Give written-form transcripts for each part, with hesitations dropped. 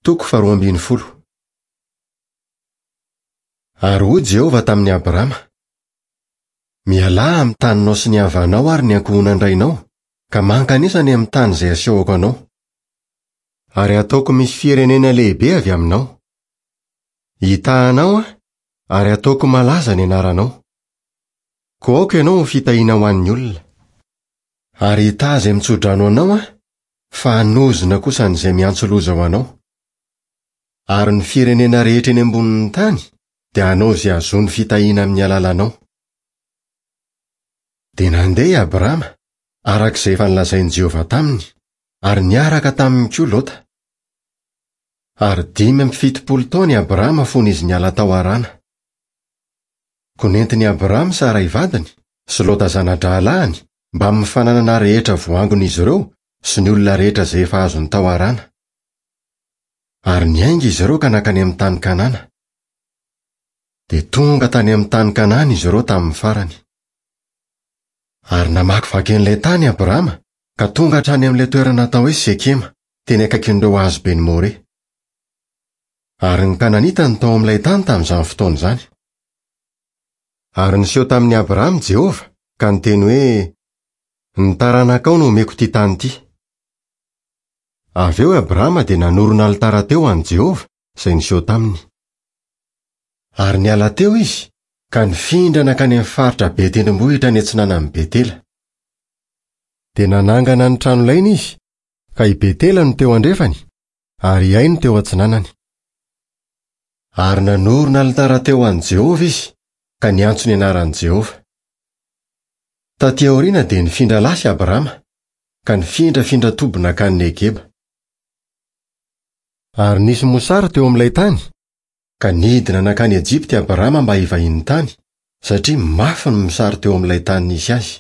Toko faharoa ambin'ny folo. Ary hoy Jehovah tamin'i Abrama, Mialà amin'ny taninao sy ny havanao ary ny ankohonan-drainao, ka mankanesa any amin'ny tany izay asehoko anao. Ary hataoko misy firenena lehibe avy aminao. Hitaha anao aho, ary hataoko malaza ny anaranao. Koa aoka ianao ho fitahiana ho an'ny olona. Ary hitaha izay mitsodrano anao aho, fa hanozona kosa an'izay miantso loza ho anao. Ary ny firenena rehetra eny ambonin'ny tany dia hanao izay hahazoany fitahiana amin'ny alalanao. Dia nandeha i Abrama, araka izay efa nolazain'i Jehovah taminy, ary niaraka taminy koa Lota. Ary 75 taona i Abrama fony izy niala tao Harana. Koa nentin'i Abrama Saray vadiny, sy Lota zana-drahalahiny, mbamin'ny fananana rehetra voangon'izy ireo sy ny olona rehetra izay efa azony tao Harana. Ary niainga izy ireo ka nankany amin'ny tany Kanana. Dia tonga tany amin'ny tany Kanana izy ireo tamin'ny farany. Ary namakivaky an'ilay tany Abrama ka tonga hatrany amin'ilay toerana atao hoe Sekema, teny akaikin'ireo hazoben'i More. Ary ny Kananita no tao amin'ilay tany tamin'izany fotoana izany. Ary niseho tamin'i Abrahama Jehovah, ka niteny hoe, Ny taranakao no homeko ity tany ity. Avy eo i Abrahama dia nanorina alitara teo ho an'i Jehovah, izay niseho taminy. Ary niala teo izy, ka nifindra nankany amin'ny faritra be tendrombohitra any atsinanan'i Betela. Dia nanangana ny tranolainy izy, ka i Betela no teo andrefany, ary i Ay no teo atsinanany. Ary nanorina alitara teo ho an'i Jehovah izy, ka niantso ny anaran'i Jehovah. Tatỳ aoriana dia nifindra lasy Abrama, ka nifindrafindra toby nankany Negeba. Ary nisy mosary teo amin'ilay tany, ka nidina nankany Ejipta i Abrama mba hivahiny tany, satria mafy ny mosary teo amin'ilay tany nisy azy.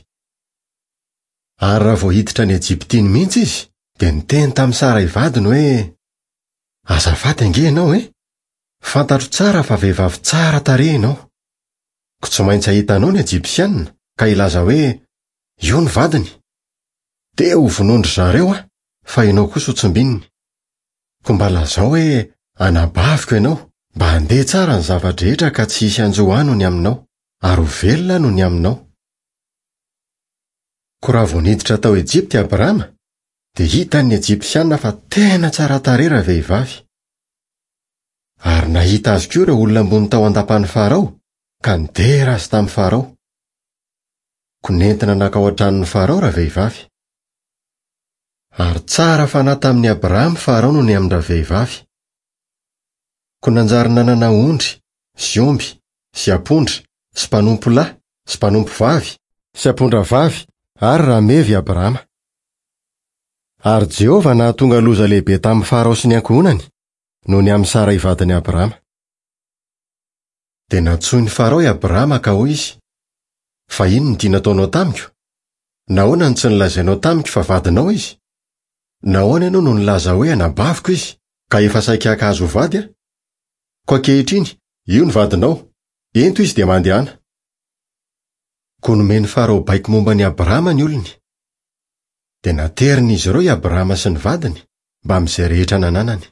Ary raha vao hiditra any Ejipta iny mihitsy izy, dia niteny tamin'i Saray vadiny hoe, Azafady ange ianao e! Fantatro tsara fa vehivavy tsara tarehy ianao. Koa tsy maintsy hahita anao ny Ejipsianina ka hilaza hoe, 'Io ny vadiny. Dia hovonoin-dry zareo aho, fa ianao kosa hotsimbininy. Koa mba lazao hoe anabaviko ianao, mba handeha tsara ny zava-drehetra ka tsy hisy hanjo ahy noho ny aminao, ary ho velona aho noho ny aminao. Koa raha vao niditra tao Ejipta i Abrama, dia hitan'ny Ejipsiana fa tena tsara tarehy ravehivavy. Ary nahita azy koa ireo olona ambony tao an-dapan'i Farao, ka nidera azy tamin'i Farao. Koa nentina nankao an-tranon'i Farao ravehivavy. Ary tsara fanahy tamin'i Abrahama Farao noho ny amin-dravehivavy. Koa nanjary nanana ondry, sy omby, sy ampondra, sy mpanompo lahy, sy mpanompo vavy, sy ampondra vavy, ary rameva i Abrahama. Ary Jehovah nahatonga loza lehibe tamin'i Farao sy ny ankohonany, noho ny amin'i Saray vadin'i Abrahama. Dia nantsoin'i Farao i Abrahama ka hoy izy, Fa inona ity nataonao tamiko? Nahoana no tsy nolazainao tamiko fa vadinao izy? Nahoana ianao no nilaza hoe anabaviko izy, ka efa saika haka azy ho vady aho? Koa ankehitriny, io ny vadinao, ento izy dia mandehana. Koa nomen'i Farao baiko momba an'i Abrahama ny olony. Dia naterin'izy ireo i Abrahama sy ny vadiny, mbamin'izay rehetra nananany.